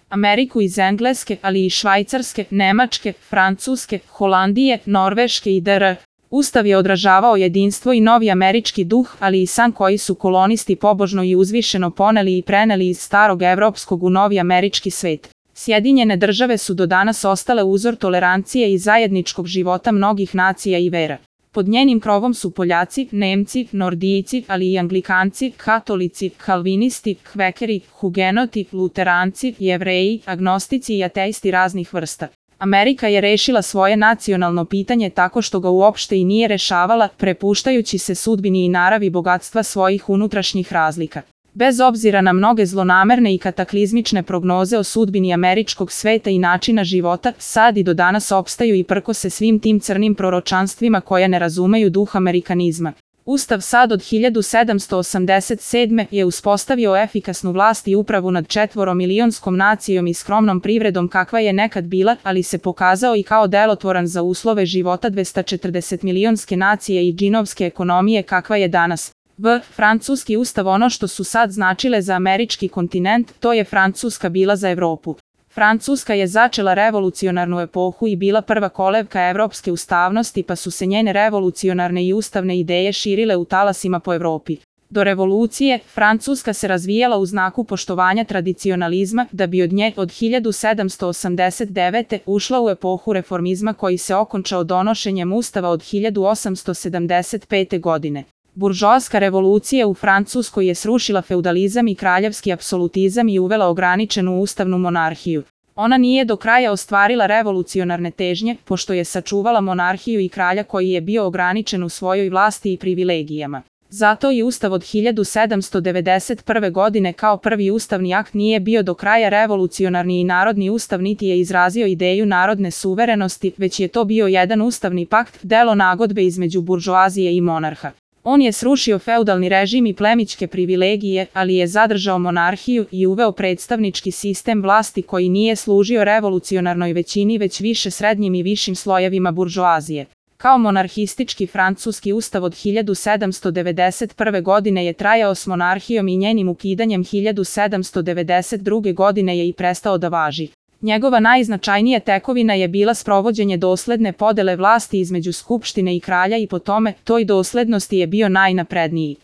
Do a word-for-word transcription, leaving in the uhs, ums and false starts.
Ameriku iz Engleske, ali i Švajcarske, Nemačke, Francuske, Holandije, Norveške i dr. Ustav je odražavao jedinstvo i novi američki duh, ali i san koji su kolonisti pobožno i uzvišeno poneli i preneli iz starog evropskog u novi američki svet. Sjedinjene države su do danas ostale uzor tolerancije i zajedničkog života mnogih nacija i vera. Pod njenim krovom su Poljaci, Nemci, Nordijci, ali i Anglikanci, Katolici, Kalvinisti, Kvekeri, Hugenoti, Luteranci, Jevreji, agnostici i ateisti raznih vrsta. Amerika je rešila svoje nacionalno pitanje tako što ga uopšte i nije rešavala, prepuštajući se sudbini i naravi bogatstva svojih unutrašnjih razlika. Bez obzira na mnoge zlonamerne i kataklizmične prognoze o sudbini američkog sveta i načina života, sad i do danas opstaju i prkose svim tim crnim proročanstvima koje ne razumeju duh amerikanizma. Ustav sad od hiljadu sedamsto osamdeset sedme. je uspostavio efikasnu vlast i upravu nad četvoromilionskom nacijom i skromnom privredom kakva je nekad bila, ali se pokazao i kao delotvoran za uslove života dvestačetrdesetmilionske nacije i džinovske ekonomije kakva je danas. V. Francuski ustav. Ono što su sad značile za američki kontinent, to je Francuska bila za Evropu. Francuska je začela revolucionarnu epohu i bila prva kolevka evropske ustavnosti, pa su se njene revolucionarne i ustavne ideje širile u talasima po Evropi. Do revolucije, Francuska se razvijala u znaku poštovanja tradicionalizma, da bi od nje od hiljadu sedamsto osamdeset devete. ušla u epohu reformizma koji se okončao donošenjem ustava od hiljadu osamsto sedamdeset pete. godine. Buržoaska revolucija u Francuskoj je srušila feudalizam i kraljevski apsolutizam i uvela ograničenu ustavnu monarhiju. Ona nije do kraja ostvarila revolucionarne težnje, pošto je sačuvala monarhiju i kralja koji je bio ograničen u svojoj vlasti i privilegijama. Zato i ustav od hiljadu sedamsto devedeset prve. godine kao prvi ustavni akt nije bio do kraja revolucionarni i narodni ustav niti je izrazio ideju narodne suverenosti, već je to bio jedan ustavni pakt, delo nagodbe između buržoazije i monarha. On je srušio feudalni režim i plemićke privilegije, ali je zadržao monarhiju i uveo predstavnički sistem vlasti koji nije služio revolucionarnoj većini već više srednjim i višim slojevima buržoazije. Kao monarhistički francuski ustav od hiljadu sedamsto devedeset prve. godine je trajao s monarhijom i njenim ukidanjem hiljadu sedamsto devedeset druge. godine je i prestao da važi. Njegova najznačajnija tekovina je bila sprovođenje dosledne podele vlasti između skupštine i kralja i po tome, toj doslednosti je bio najnapredniji.